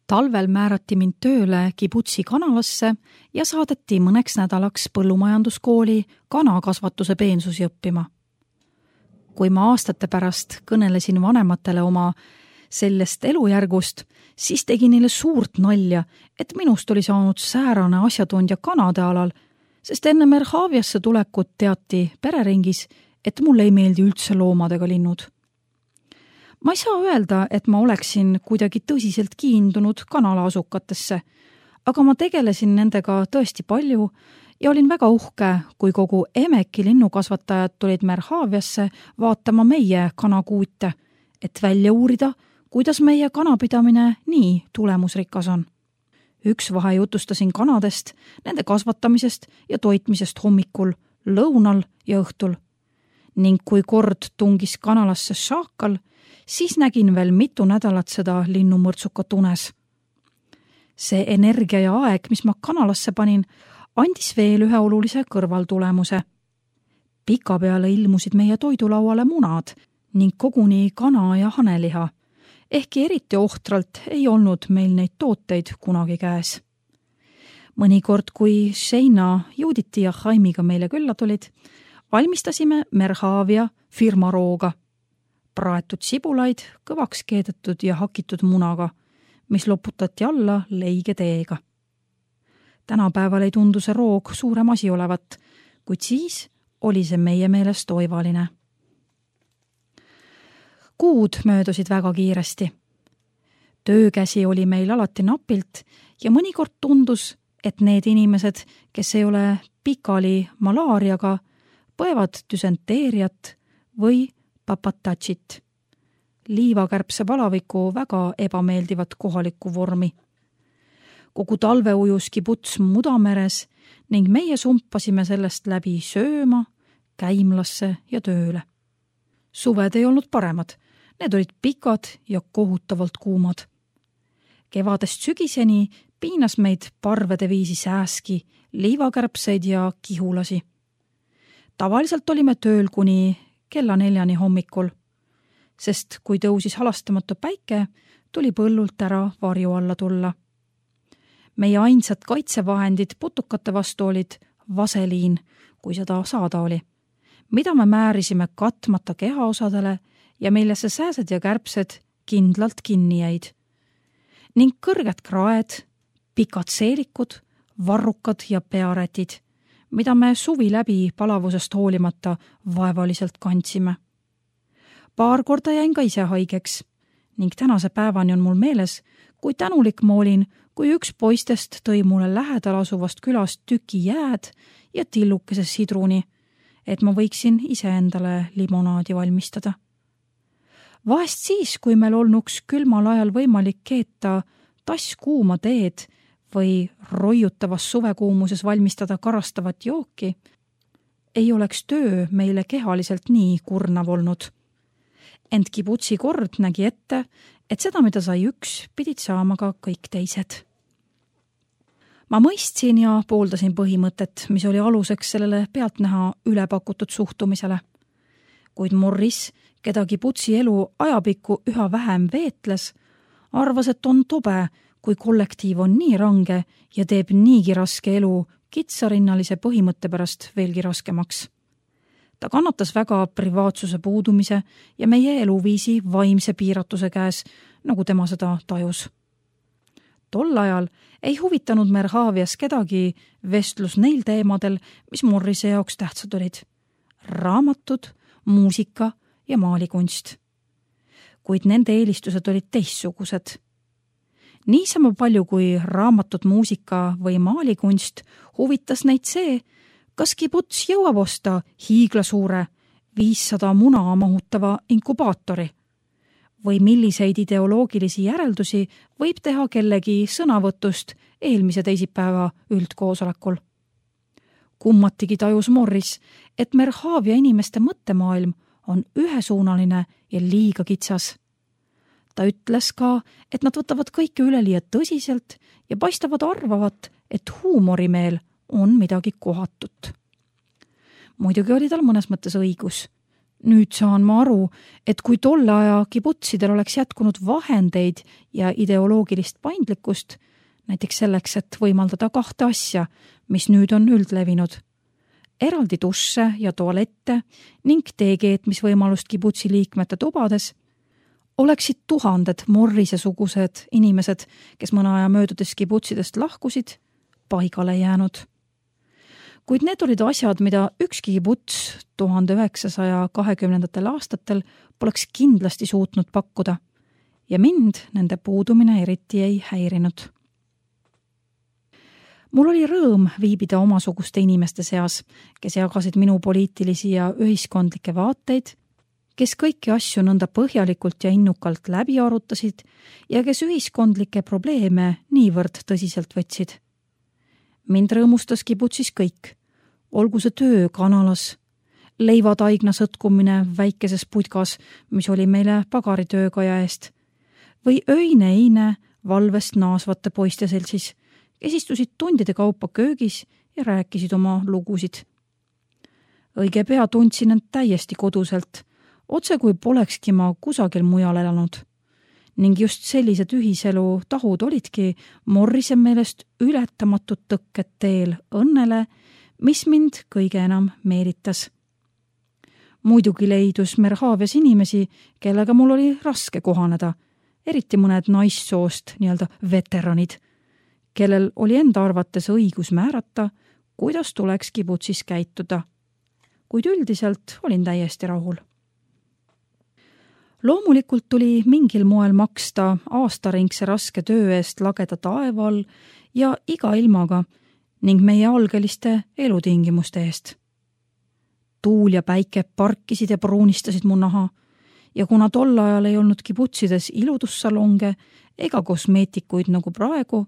Talvel määrati mind tööle kibutsi kanalasse ja saadeti mõneks nädalaks põllumajanduskooli kanakasvatuse peensusi õppima. Kui ma aastate pärast kõnelesin vanematele oma sellest elujärgust, siis tegi neile suurt nalja, et minust oli saanud säärane asjatundja kanade alal, sest enne Merhaviasse tulekut teati pereringis, et mulle ei meeldi üldse loomadega linnud. Ma ei saa öelda, et ma oleksin kuidagi tõsiselt kiindunud kanalaasukatesse, aga ma tegelesin nendega tõesti palju ja olin väga uhke, kui kogu Emeki linnukasvatajad tulid Merhaviasse vaatama meie kanakuute, et välja uurida, kuidas meie kanapidamine nii tulemusrikas on. Üks vahe jutustasin kanadest, nende kasvatamisest ja toitmisest hommikul, lõunal ja õhtul. Ning kui kord tungis kanalasse šaakal, siis nägin veel mitu nädalat seda linnumõrtsukat unes. See energia ja aeg, mis ma kanalasse panin, andis veel ühe olulise kõrvaltulemuse. Pika peale ilmusid meie toidulauale munad ning koguni kana ja haneliha, ehkki eriti ohtralt ei olnud meil neid tooteid kunagi käes. Mõnikord, kui Sheina, Juditi ja Jaimiga meile külla tulid, valmistasime Merhavia firmarooga. Praetud sibulaid, kõvaks keedetud ja hakitud munaga, mis loputati alla leige teega. Tänapäeval ei tundu see roog suurem asi olevat, kuid siis oli see meie meelest oivaline. Kuud möödusid väga kiiresti. Töökäsi oli meil alati napilt ja mõnikord tundus, et need inimesed, kes ei ole pikali malaariaga, põevad düsenteeriat või papatatšit, liivakärbse palaviku väga ebameeldivat kohalikku vormi. Kogu talve ujus kibuts mudameres ning meie sumpasime sellest läbi sööma, käimlasse ja tööle. Suved ei olnud paremad, need olid pikad ja kohutavalt kuumad. Kevadest sügiseni piinas meid parvede viisi sääski, liivakärbseid ja kihulasi. Tavaliselt olime tööl kuni kella 4 hommikul, sest kui tõusis halastamatu päike, tuli põllult ära varju alla tulla. Meie ainsad kaitsevahendid putukate vastu olid vaseliin, kui seda saada oli, mida me määrisime katmata kehaosadele ja millesse sääsed ja kärbsed kindlalt kinni jäid. Ning kõrged kraed, pikad seelikud, varrukad ja pearätid, mida me suvi läbi palavusest hoolimata vaevaliselt kandsime. Paar korda jäin ka ise haigeks ning tänase päevani on mul meeles, kui tänulik ma olin, kui üks poistest tõi mulle lähedal asuvast külast tüki jääd ja tillukese sidruni, et ma võiksin iseendale limonaadi valmistada. Vahest siis, kui meil olnuks külmal ajal võimalik keeta tass kuuma teed või roiutavas suvekuumuses valmistada karastavat jooki, ei oleks töö meile kehaliselt nii kurnav olnud. Ent kibutsi kord nägi ette, et seda, mida sai üks, pidid saama ka kõik teised. Ma mõistsin ja pooldasin põhimõtet, mis oli aluseks sellele pealtnäha ülepakutud suhtumisele. Kuid Morris, keda kibutsi elu ajapikku üha vähem veetles, arvas, et on tobe, kui kollektiiv on nii range ja teeb niigi raske elu kitsarinnalise põhimõtte pärast veelgi raskemaks. Ta kannatas väga privaatsuse puudumise ja meie eluviisi vaimse piiratuse käes, nagu tema seda tajus. Tol ajal ei huvitanud Merhavias kedagi vestlus neil teemadel, mis Morrise jaoks tähtsad olid. Raamatud, muusika ja maalikunst. Kuid nende eelistused olid teistsugused. Niisama palju kui raamatud, muusika või maalikunst huvitas neid see, kas kibuts jõuab osta hiiglasuure 500 muna mahutava inkubaatori või milliseid ideoloogilisi järeldusi võib teha kellegi sõnavõtust eelmise teisipäeva üldkoosolekul. Kummatigi tajus Morris, et Merhavia inimeste mõttemaailm on ühesuunaline ja liiga kitsas. Ta ütles ka, et nad võtavad kõike üleliia tõsiselt ja paistavad arvavat, et huumorimeel on midagi kohatut. Muidugi oli tal mõnes mõttes õigus. Nüüd saan ma aru, et kui tolle aja kibutsidel oleks jätkunud vahendeid ja ideoloogilist paindlikkust, näiteks selleks, et võimaldada 2 asja, mis nüüd on üldlevinud. Eraldi dusse ja tualette ning teekeetmisvõimalust kibutsi liikmete tubades, oleksid tuhanded Morrise-sugused inimesed, kes mõne aja möödudes kibutsidest lahkusid, paigale jäänud. Kuid need olid asjad, mida ükski kibuts 1920. aastatel poleks kindlasti suutnud pakkuda ja mind nende puudumine eriti ei häirinud. Mul oli rõõm viibida omasuguste inimeste seas, kes jagasid minu poliitilisi ja ühiskondlikke vaateid, kes kõiki asju nõnda põhjalikult ja innukalt läbi arutasid ja kes ühiskondlikke probleeme niivõrd tõsiselt võtsid. Mind rõõmustas kibutsis kõik, olgu see töö kanalas, leivataigna sõtkumine väikeses putkas, mis oli meile pagaritöökaja eest, või öine eine valvest naasvate poiste seltsis, kes istusid tundide kaupa köögis ja rääkisid oma lugusid. Õige pea tundsin end täiesti koduselt, otse kui polekski ma kusagil mujal elanud. Ning just sellised ühiselu tahud olidki Morrise meelest ületamatud tõkked teel õnnele, mis mind kõige enam meelitas. Muidugi leidus Merhavias inimesi, kellega mul oli raske kohaneda, eriti mõned naissoost nii-öelda veteranid, kellel oli enda arvates õigus määrata, kuidas tuleks kibutsis käituda. Kuid üldiselt olin täiesti rahul. Loomulikult tuli mingil moel maksta aastaringse raske töö eest lageda taeva all ja iga ilmaga ning meie algeliste elutingimuste eest. Tuul ja päike parkisid ja pruunistasid mu naha ja kuna tol ajal ei olnud kibutsides iludussalonge ega kosmeetikuid nagu praegu,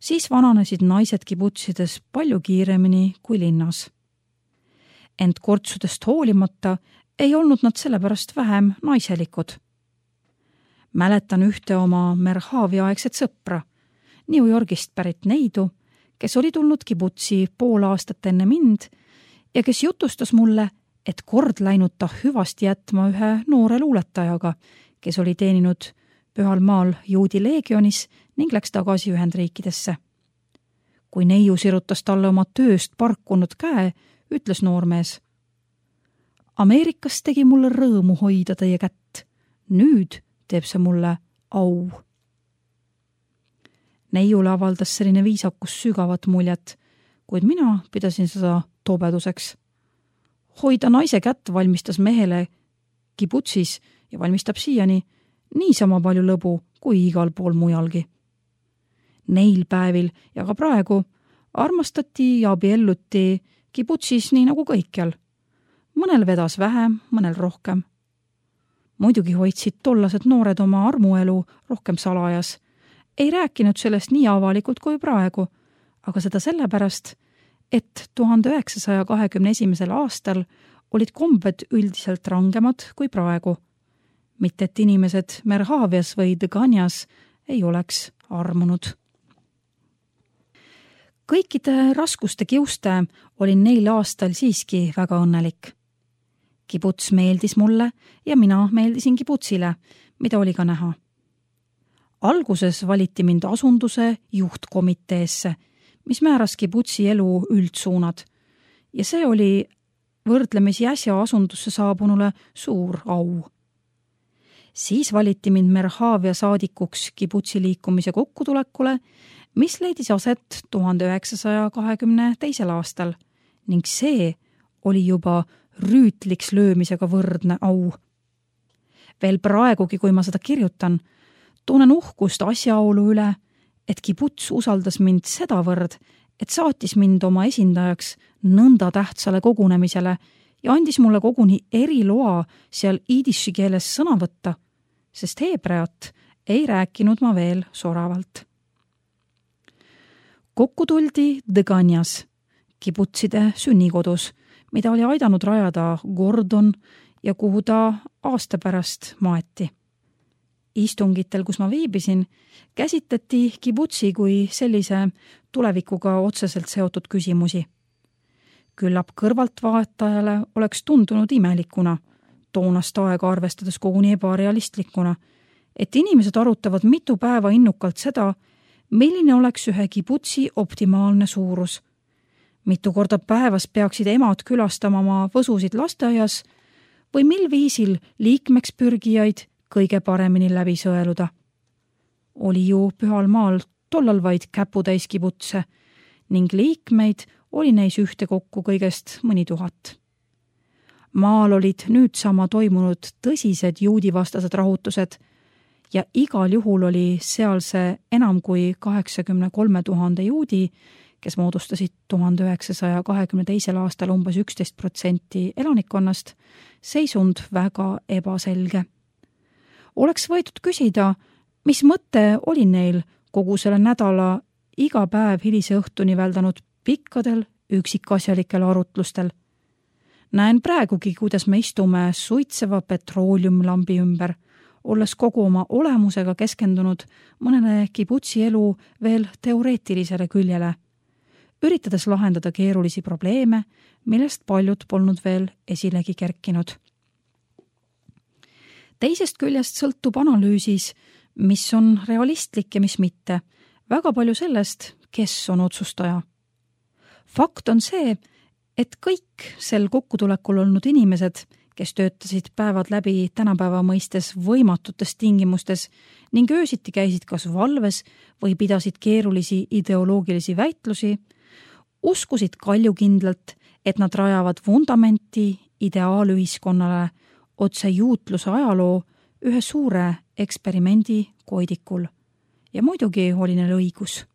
siis vananesid naised kibutsides palju kiiremini kui linnas. Ent kortsudest hoolimata ei olnud nad sellepärast vähem naiselikud. Mäletan ühte oma Merhavi-aegset sõpra, New Yorgist pärit neidu, kes oli tulnud kibutsi pool aastat enne mind ja kes jutustas mulle, et kord läinud ta hüvasti jätma ühe noore luuletajaga, kes oli teeninud Pühal maal juudi leegionis ning läks tagasi Ühendriikidesse. Kui neiu sirutas talle oma tööst parkunud käe, ütles noormees: Ameerikas tegi mulle rõõmu hoida teie kätt. Nüüd teeb see mulle au. Neiule avaldas selline viisakus sügavat muljet, kuid mina pidasin seda tobeduseks. Hoida naise kätt valmistas mehele kibutsis ja valmistab siiani niisama palju lõbu kui igal pool mujalgi. Neil päevil ja ka praegu armastati ja abielluti kibutsis nii nagu kõikjal. Mõnel vedas vähem, mõnel rohkem. Muidugi hoidsid tollased noored oma armuelu rohkem salajas. Ei rääkinud sellest nii avalikult kui praegu, aga seda sellepärast, et 1921. aastal olid kombed üldiselt rangemad kui praegu. Mitte et inimesed Merhavias või Dõganjas ei oleks armunud. Kõikide raskuste kiuste olin neil aastal siiski väga õnnelik. Kibuts meeldis mulle ja mina meeldisin kibutsile, mida oli ka näha. Alguses valiti mind asunduse juhtkomiteesse, mis määras kibutsi elu üldsuunad ja see oli võrdlemisi äsja asundusse saabunule suur au. Siis valiti mind Merhavia saadikuks kibutsi liikumise kokkutulekule, mis leidis aset 1922. aastal ning see oli juba rüütliks löömisega võrdne au. Veel praegugi, kui ma seda kirjutan, tunnen uhkust asjaolu üle, et kibuts usaldas mind sedavõrd, et saatis mind oma esindajaks nõnda tähtsale kogunemisele ja andis mulle koguni eriloa seal iidiši keeles sõna võtta, sest heebreat ei rääkinud ma veel soravalt. Kokku tuldi Dõganjas, kibutside sünnikodus, mida oli aidanud rajada Gordon ja kuhu ta aasta pärast maeti. Istungitel, kus ma viibisin, käsitleti kibutsi kui sellise tulevikuga otseselt seotud küsimusi. Küllap kõrvaltvaatajale oleks tundunud imelikuna toonast aega arvestades koguni ebarealistlikuna, et inimesed arutavad mitu päeva innukalt seda, milline oleks ühe kibutsi optimaalne suurus. Mitu korda päevas peaksid emad külastama oma võsusid lasteaias või mil viisil liikmeks pürgijaid kõige paremini läbi sõeluda. Oli ju Pühal Maal tollal vaid käputäis kibutse ning liikmeid oli neis ühtekokku kõigest mõni 1000. Maal olid nüüd sama toimunud tõsised juudivastased rahutused ja igal juhul oli seal see enam kui 83 000 juudi, kes moodustasid 1922. aastal umbes 11% elanikkonnast, seisund väga ebaselge. Oleks võidud küsida, mis mõte oli neil kogu selle nädala iga päev hilise õhtuni väldanud pikkadel üksikasjalikel arutlustel. Näen praegugi, kuidas me istume suitseva petrooliumlambi ümber, olles kogu oma olemusega keskendunud mõnele kibutsi elu veel teoreetilisele küljele, üritades lahendada keerulisi probleeme, millest paljud polnud veel esilegi kerkinud. Teisest küljest sõltub analüüsis, mis on realistlik ja mis mitte, väga palju sellest, kes on otsustaja. Fakt on see, et kõik sel kokkutulekul olnud inimesed, kes töötasid päevad läbi tänapäeva mõistes võimatutes tingimustes ning öösiti käisid kas valves või pidasid keerulisi ideoloogilisi väitlusi, uskusid kaljukindlalt, et nad rajavad vundamenti ideaalühiskonnale otse juutluse ajaloo ühe suure eksperimendi koidikul. Ja muidugi oli neil õigus.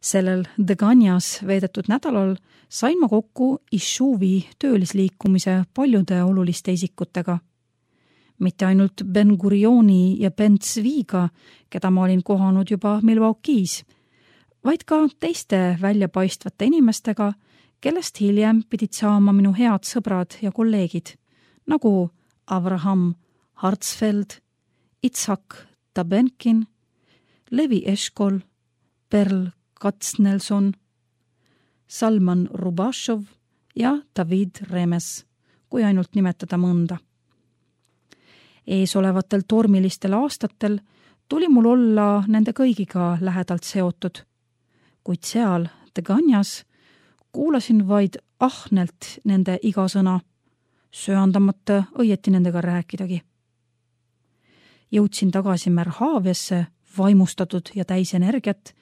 Sellel Deganjas veedetud nädalal sain ma kokku Ishuvi töölisliikumise paljude oluliste isikutega. Mitte ainult Ben Gurioni ja Ben Tzviga, keda ma olin kohanud juba Milwaukee's, vaid ka teiste väljapaistvate inimestega, kellest hiljem pidid saama minu head sõbrad ja kolleegid, nagu Avraham Hartsfeld, Itzhak Tabenkin, Levi Eshkol, Perl Katznelson, Salman Rubashov ja David Remes, kui ainult nimetada mõnda. Eesolevatel tormilistel aastatel tuli mul olla nende kõigiga lähedalt seotud, kuid seal Deganjas kuulasin vaid ahnelt nende iga sõna, söandamata õieti nendega rääkidagi. Jõudsin tagasi Merhaviasse vaimustatud ja täis energiat,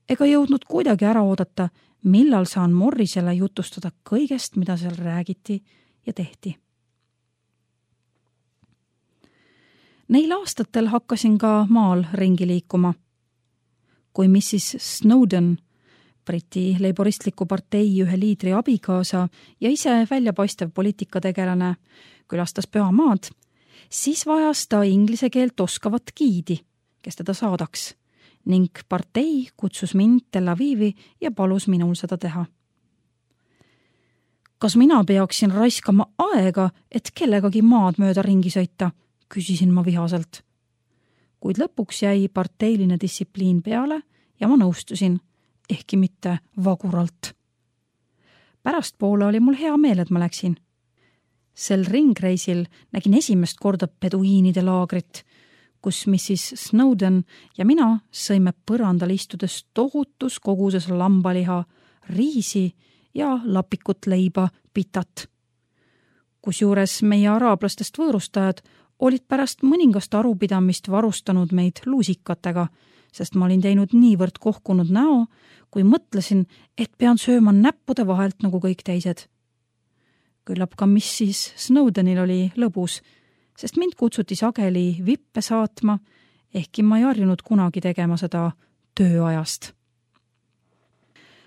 ega jõudnud kuidagi ära oodata, millal saan Morrisele jutustada kõigest, mida seal räägiti ja tehti. Neil aastatel hakkasin ka maal ringi liikuma. Kui Mrs. Snowden, Briti leiboristliku partei ühe liidri abikaasa ja ise väljapaistev poliitikategelane, külastas Pühamaad, siis vajas ta inglise keelt oskavat giidi, kes teda saadaks, ning partei kutsus mind Tel Avivi ja palus minul seda teha. Kas mina peaksin raiskama aega, et kellegagi maad mööda ringi sõita, küsisin ma vihaselt. Kuid lõpuks jäi parteiline distsipliin peale ja ma nõustusin, ehkki mitte vaguralt. Pärastpoole oli mul hea meel, et ma läksin. Sel ringreisil nägin esimest korda peduiinide laagrit, kus Mrs. Snowden ja mina sõime põrandal istudes tohutus koguses lambaliha, riisi ja lapikut leiba pitat. Kusjuures meie araablastest võõrustajad olid pärast mõningast arupidamist varustanud meid luusikatega, sest ma olin teinud niivõrd kohkunud näo, kui mõtlesin, et pean sööma näppude vahelt nagu kõik teised. Küllap ka Mrs. Snowdenil oli lõbus, sest mind kutsuti sageli vippe saatma, ehkki ma ei harjunud kunagi tegema seda tööajast.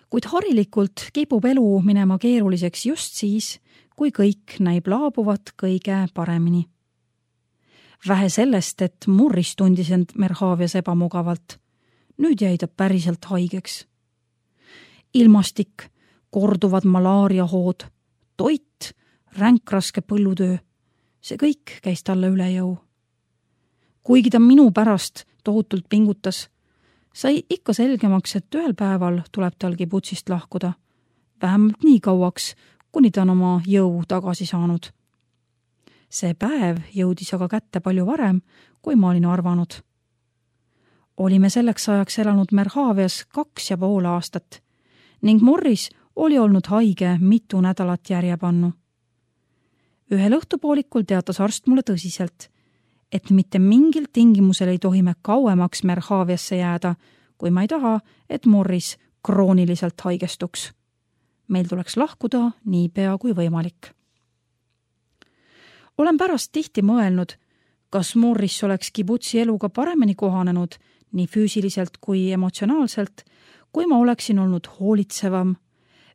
Kuid harilikult kipub elu minema keeruliseks just siis, kui kõik näib laabuvat kõige paremini. Vähe sellest, et Morris tundis end Merhavias ebamugavalt. Nüüd jäi ta päriselt haigeks. Ilmastik, korduvad malaariahood, toit, ränkraske põllutöö. See kõik käis talle üle jõu. Kuigi ta minu pärast tohutult pingutas, sai ikka selgemaks, et ühel päeval tuleb tal kibutsist lahkuda. Vähemalt nii kauaks, kuni ta on oma jõu tagasi saanud. See päev jõudis aga kätte palju varem, kui ma olin arvanud. Olime selleks ajaks elanud Merhavias 2,5 aastat ning Morris oli olnud haige mitu nädalat järjepannu. Ühel õhtupoolikul teatas arst mulle tõsiselt, et mitte mingil tingimusel ei tohi me kauemaks Merhaviasse jääda, kui ma ei taha, et Morris krooniliselt haigestuks. Meil tuleks lahkuda niipea kui võimalik. Olen pärast tihti mõelnud, kas Morris oleks kibutsi eluga paremini kohanenud nii füüsiliselt kui emotsionaalselt, kui ma oleksin olnud hoolitsevam,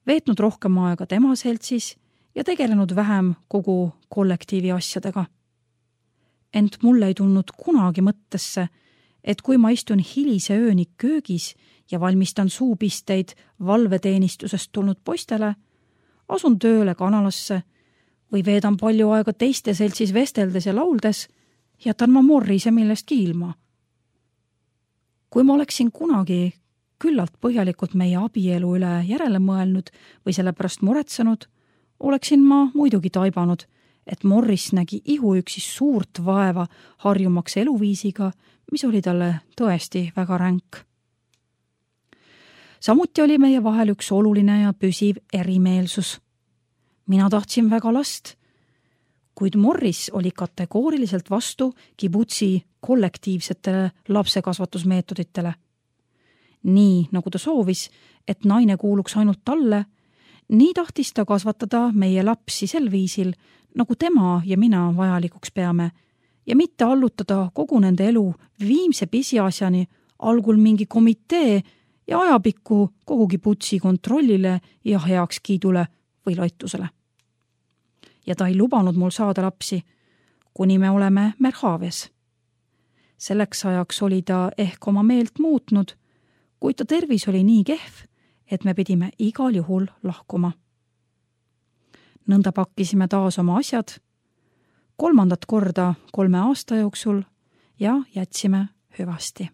veetnud rohkem aega tema seltsis ja tegelenud vähem kogu kollektiivi asjadega. Ent mulle ei tulnud kunagi mõttesse, et kui ma istun hilise ööni köögis ja valmistan suupisteid valveteenistusest tulnud poistele, asun tööle kanalasse või veedan palju aega teiste seltsis vesteldes ja lauldes, jätan ma Morrise millestki ilma. Kui ma oleksin kunagi küllalt põhjalikult meie abielu üle järele mõelnud või sellepärast muretsenud, oleksin ma muidugi taibanud, et Morris nägi ihuüksi suurt vaeva harjumaks eluviisiga, mis oli talle tõesti väga ränk. Samuti oli meie vahel üks oluline ja püsiv erimeelsus. Mina tahtsin väga last, kuid Morris oli kategooriliselt vastu kibutsi kollektiivsetele lapsekasvatusmeetoditele. Nii nagu ta soovis, et naine kuuluks ainult talle, nii tahtis ta kasvatada meie lapsi sel viisil, nagu tema ja mina vajalikuks peame, ja mitte allutada kogu nende elu viimse pisiasjani algul mingi komitee ja ajapikku kogu kibutsi kontrollile ja heakskiidule või loitusele. Ja ta ei lubanud mul saada lapsi, kuni me oleme Merhavias. Selleks ajaks oli ta ehk oma meelt muutnud, kuid ta tervis oli nii kehv, et me pidime igal juhul lahkuma. Nõnda pakkisime taas oma asjad, 3. korda 3 aasta jooksul ja jätsime hüvasti.